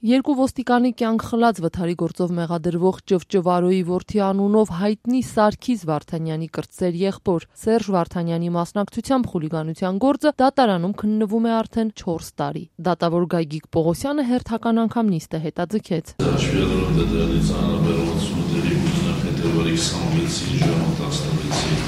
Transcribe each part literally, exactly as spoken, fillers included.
Երկու ոստիկանի կյանք խլած վթարի գործով մեղադրվող Ճվճվարոյի որդի անունով հայտնի Սարգիս Վարդանյանի կրտսեր եղբոր Սերժ Վարդանյանի մասնակցությամբ խուլիգանության գործը դատարանում քննվում է արդեն չորս տարի։ Դատավոր Գագիկ Պողոսյանը հերթական անգամ նիստը հետաձգեց։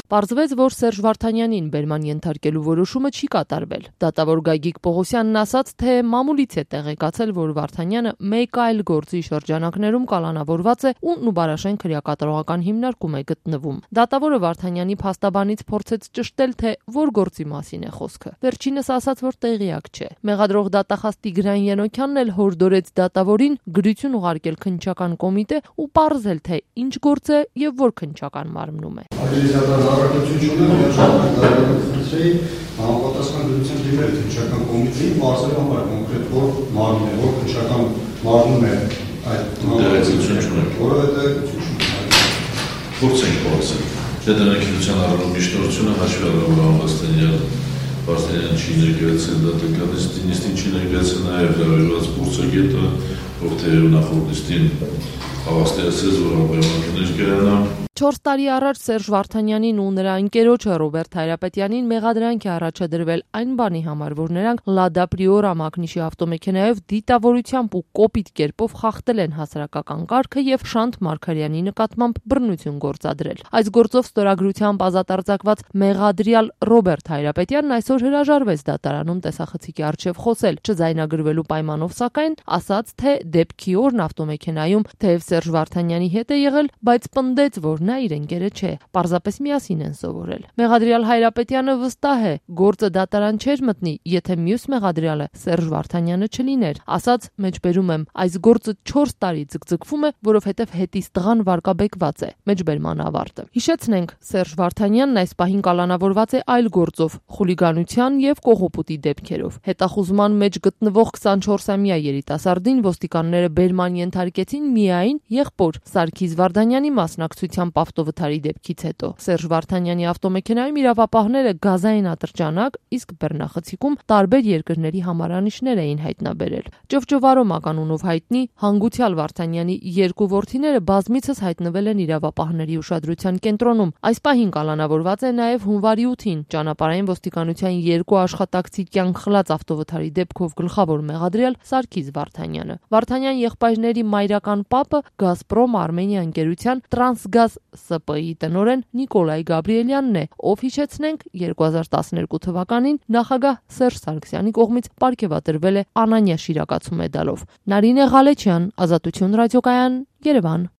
Պարզվեց, որ Սերժ Վարդանյանին բերման ենթարկելու որոշումը չի կատարվել։ Դատավոր Գագիկ Պողոսյանն ասաց, թե մամուլից է տեղեկացել, որ Վարդանյանը մեկ այլ գործի շրջանակներում կալանավորված է ու Նուբարաշեն քրեակատարողական հիմնարկում է գտնվում։ Դատավորը Վարդանյանի փաստաբանից փորձեց ճշտել, թե որ գործի մասին է խոսքը։ Վերջինս ասաց, որ տեղյակ չէ։ Մեղադրող դատախազ Տիգրան Ենոքյանն էլ հորդորեց դատավորին գրություն ուղարկել քննչական կոմիտե ու պարզել, թե ինչ գործ է եւ որ քննչական մարմնում է։ Համապատասխան դրության դիմել քննչական կոմիտեին բարձրացնելու համար կոնկրետ որ մարմին է, որ քննչական մարմնում է այդ համապատասխան, որովհետեւ փորձենք փորձել։ Դե դրանք քննչական առումով միշտորությունը հաշվի առնելով Վարդանյանը Վարդանյանը չի ներկայացել դատականից նիստին չի ներկայացել նաև դրավիրված փորձագետը, ով թե նախորդ նիստին հավաստիացրեց, որ ապահովանքներ կայանա։ Չորս տարի առաջ Սերժ Վարդանյանին ու նրա ընկերոջը Ռոբերտ Հայրապետյանին մեղադրանք է առաջադրվել այն բանի համար, որ նրանք Լադա Պրիորա մակնիշի ավտոմեքենայով դիտավորությամբ ու կոպիտ կերպով խախտել են հասարակական կարգը եւ Շանթ Մարգարյանի նկատմամբ բռնություն գործադրել։ Այս գործով ստորագրությամբ ազատարձակված մեղադրյալ Ռոբերտ Հայրապետյանն այսօր հրաժարվեց դատարանում տեսախցիկի առջև խոսել, չձայնագրվելու պայմանով, սակայն ասաց, թե դեպքի օրն ավտոմեքենայում թեև Սերժ Վարդանյանի հետ է եղել, բայց պնդեց, որ նա իր ընկերը չէ, պարզապես միասին են սովորել։ Մեղադրյալ Հայրապետյանը վստահ է, գործը դատարան չէր մտնի, եթե մյուս մեղադրյալը Սերժ Վարդանյանը չլիներ։ Ասաց, մեջբերում եմ, այս գործը չորս տարի ձգձգվում է, որովհետև հետից տղան վարկաբեկված է։ Մեջբերման ավարտը։ Հիշեցնենք, Սերժ Վարդանյանն այս պահին կալանավորված է այլ գործով՝ խուլիգանության եւ կողոպուտի դեպքերով։ Հետախուզման մեջ գտնվող քսանչորսամյա երիտասարդին ոստիկանները բերման ենթարկեցին միայն եղբոր Սարգիս Վարդանյանի մասնակցությամբ ավտովթարի դեպքից հետո։ Սերժ Վարդանյանի ավտոմեքենայում իրավապահները գազային ատրճանակ, իսկ բեռնախցիկում տարբեր երկրների համարանիշներ էին հայտնաբերել։ Ճվճվարո մականունով հայտնի հանգուցյալ Վարդանյանի երկու որդիները բազմիցս հայտնվել են իրավապահների ուշադրության կենտրոնում։ Այս պահին կալանավորված է նաև հունվարի ութին ճանապարհային ոստիկանության երկու աշխատակցի կյանք խլած ավտովթարի դեպքով գլխավոր մեղադրյալ Սարգիս Վարդանյանը։ Վարդանյան եղբայրների մայրական պապը Գազպրոմ Արմենիա ընկերության Տրանսգազ Ս Պ ի տնօրեն Նիկոլայ Գաբրիելյանն է, ով հիշեցնենք երկու հազար տասներկու թվականին նախագահ Սերժ Սարգսյանի կողմից պարգևատրվել է Անանյա շիրակացու մեդալով։ Նարինե Ղալեչյան, Ազատություն ռադիոկայան, Երևան։